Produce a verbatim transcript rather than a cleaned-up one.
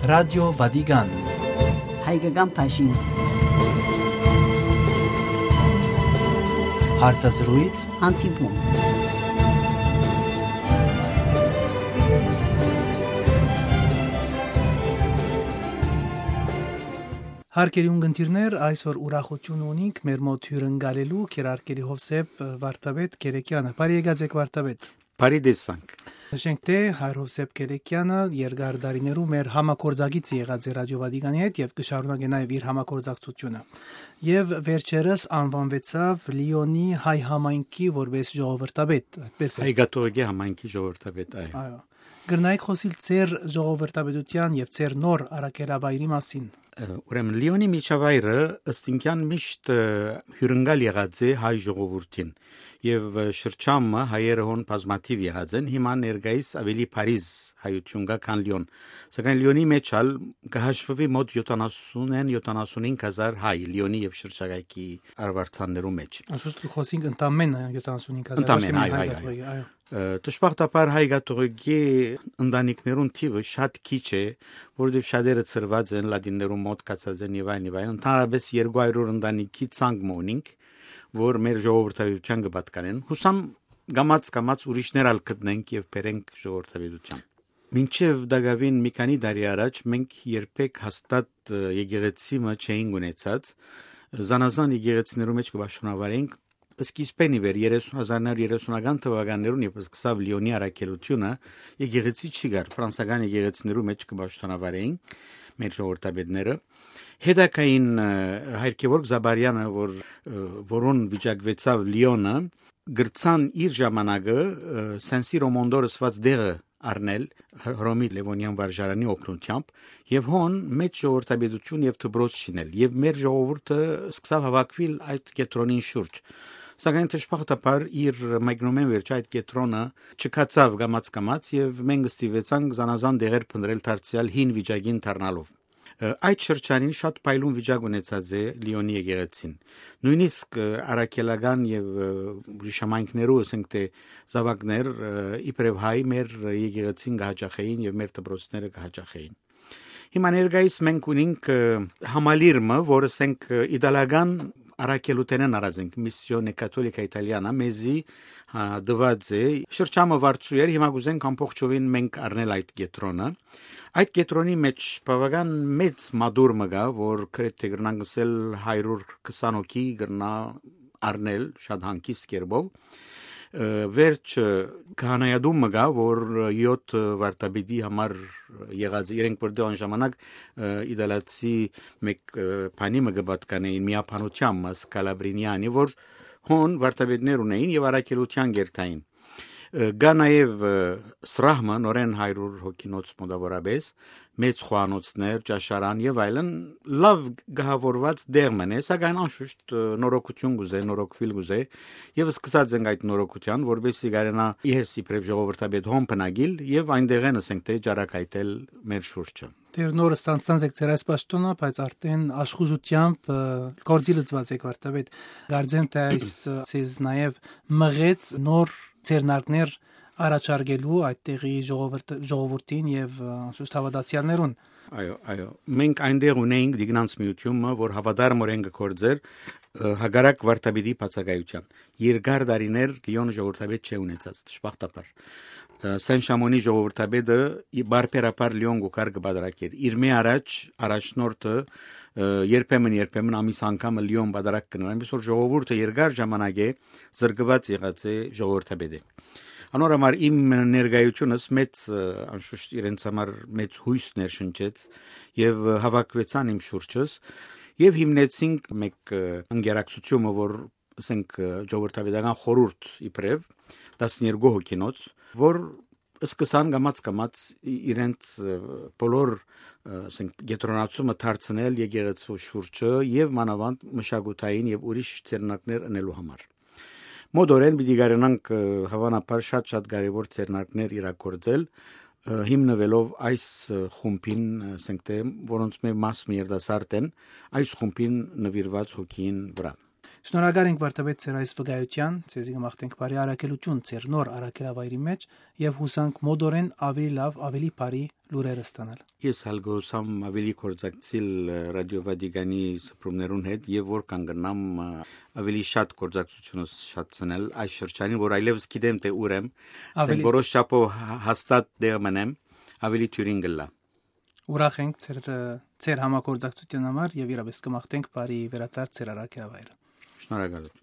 Ռադիո Վատիկան Հայկական փաշին Հարցազրույց հանդիպում Հարկերի ունգընտիրներ, այսօր ուրախություն ունինք մեր մոտ հյուրընկալելու Քերարկերի Հովսեփ Վարդապետ Գերեկյանը։ Բարի եկած եք Վարդապետ։ Բարի տեսանք։ Նշենք թե Հայր Հովսեփ Գերեկյանը երկար տարիներու մեր համակորձագից եղած է Ռադիո Վատիկանի հետ եւ կշարունակի նաեւ իր համակորձակցությունը։ Եվ վերջերս անվանվեցավ Լիոնի հայ համայնքի որպես ժողովրդապետ, այդպես է։ Հայկաթողիկի համայնքի ժողովրդապետ, այո։ Այո։ Գրնայք խոսիլ ծեր ժողովրդապետության եւ ծեր նոր արաքելավայրի մասին։ Ուրեմն Լիոնի միջավայրը ըստինքյան միշտ հյուրընկալ եղած է հայ ժողովրդին եւ շրջամը հայերը հոն բազմաթիվ եղած են հիմա ներկայիս ավելի Փարիզ հայություն կա քան Լիոն սակայն Լիոնի մեջ ալ կհաշվվի մոտ յոթանասուն յոթանասունհինգ հազար հայ Լիոնի եւ շրջակայքի արվարձաններու մեջ Անշուշտ խոսենք ընդամենը յոթանասունհինգ հազար Ընդամենը, այո, այո Դժբախտաբար հայկաթողիկի ընտանիքներուն թիվը շատ քիչ է, որովհետև շատերը ծրված են լատիններու մոտ կացած են եւ այլն եւ այլն։ Ընդհանրապես երկու հարյուր ընտանիքի ցանկ մոնինք, որ մեր ժողովրդավարության կպատկանեն։ Հուսամ գամած գամած ուրիշներ ալ գտնենք եւ բերենք ժողովրդավարության։ Մինչև դակավին մի քանի տարի առաջ մենք երբեք հաստատ եկեղեցիմը չէինք ունեցած։ Զանազան եկեղեցիներու մեջ կբաշխանավարենք Սկիզբեն իվեր հազար իննսուն երեսունական թվականներուն երբ սկսավ Լիոնի առաքելությունը եկեղեցի չի գար ֆրանսական եկեղեցիներու մեջ կբաշխանավարեին մեր ժողովրդապետները հետակային Հայր Գևորգ Զաբարյանը որ որոն վիճակվեցավ Լիոնը գրցան իր ժամանակը Սենսիրո Մոնդորսված դեղը Արնել Հռոմի Լևոնյան վարժարանի օգնությամբ եւ հոն մեծ ժողովրդապետություն եւ դպրոց շինել եւ մեր ժողովուրդը սկսավ հավաքվել այդ կետրոնին շուրջ Սակայն դժբախտաբար իր մայգնոմեն վերջ այդ կետրոնը չկացավ գամած գամած եւ մենք ստիվեցանք զանազան դեղեր փնտրել դարձյալ հին վիճակին դառնալով Այդ շրջանին շատ փայլուն վիճակ ունեցած է Լիոնի եկեղեցին նույնիսկ արաքելական եւ ուրիշամայնքներու ասենք թե զավակներ իբրև հայ մեր եկեղեցին կհաճախեին եւ մեր դպրոցները կհաճախեին Հիմա ներկայիս մենք ունենք համալիրը որը ասենք իտալական Արաքելութենեն արածենք Missione Cattolica Italiana մեզի դված է շրջամը վարձույր հիմա գուզենք ամբողջովին մենք առնել այդ կետրոնը այդ կետրոնի մեջ բավական մեծ մադուր մգա որ կրեթե գրնան գսել հարյուր քսան հոգի գրնա առնել շատ հանգիստ կերպով վերջ քահանայադում մգա որ յոթ վարտաբիդի համար եղած իրենք որտեղ ժամանակ իդալացի մեկ բանի մգաբատկանեին միապանությամբ սկալաբրինյանի որ հոն վարտաբիդներ ունեին եւ արաքելության գերտային Գա նաև սրահմը նորեն հարյուր հոգինոց մոտավորապես մեծ խոհանոցներ, ճաշարան եւ այլն լավ գահավորված դերմն է, սակայն անշուշտ նորոգություն գուզե, նորոգվել գուզե եւ սկսած ենք այդ նորոգության, որովհետեւ գարենա իհերս իբրև ժողովրդապետ հոն բնագիլ եւ այնտեղ են ասենք թե ջարակայտել մեր շուրջը Դեր նորը ստանցած եք ձեր այս պաշտոնը, բայց արդեն աշխուժությամբ գործի լծված եք վարտապետ։ Գարձեմ թե այս ցեզ նաև մղեց նոր ցերնակներ առաջարկելու այդտեղի ժողովրդին եւ անշուշտ հավատացյալներուն։ Այո, այո։ Մենք այնտեղ ունեինք դիգնանց միությունը, որ հավատարմորեն գործեր հագարակ վարտապետի բացակայության։ Երկար տարիներ Լիոն ժողովրդապետ չէ ունեցած, դժբախտաբար։ Սեն-Շամոնի ժողովրդապետը բարբերաբար Լիոն գուկար կբادرակեր իր մի առաջ առաջնորդը երբեմն երբեմն ամիս անգամ Լիոն բادرակ կնոր այնպես որ ժողովուրդը երկար ժամանակ է զրկված եղած է ժողովրդապետը Անորամար իմ ներկայությունս մեծ անշուշտ իրենց համար մեծ հույս ներշնչեց եւ հավաքվեցան իմ շուրջս եւ հիմնեցինք մեկ ընկերակցությունը որ ասենք ժողովրդապետական խորհուրդ իբրև տասներկու հոգինոց որ սկսան գամած գամած իրենց բոլոր ասենք գետրոնացումը դարձնել եկեղեցու շուրջը եւ մանավանդ մշակութային եւ ուրիշ ցերնակներ ընելու համար Մոդորեն պիտի գարենանք հավանաբար շատ-շատ կարևոր ցերնակներ իրագործել հիմնվելով այս խումբին ասենք թե որոնց մեր մաս մի երդասարդ են այս խումբին նվիրված հոգին վրա Շնորհակալ ենք վարդապետ ձեր այս վկայության, ցեզի կմաղթենք բարի առաքելություն ձեր նոր առաքելավայրի մեջ եւ հուսանք մոդորեն ավելի լավ, ավելի բարի լուրեր ստանալ։ Ես հալգոսամ ավելի կորզակցիլ ռադիո Վատիկանի սփռումներուն հետ եւ որ կանգնամ ավելի շատ կորզակցությունը շատցնել այս շրջանին, որ այլևս գիտեմ թե ուրեմ, ասենք որոշ չափով հաստատ դեր մնեմ, ավելի թյուրին գլա։ Ուրախ ենք ձեր ձեր համագործակցության համար եւ իրապես կմաղթենք բարի վերադարձ ձեր առաքելավայրը։ Շնորհակալություն։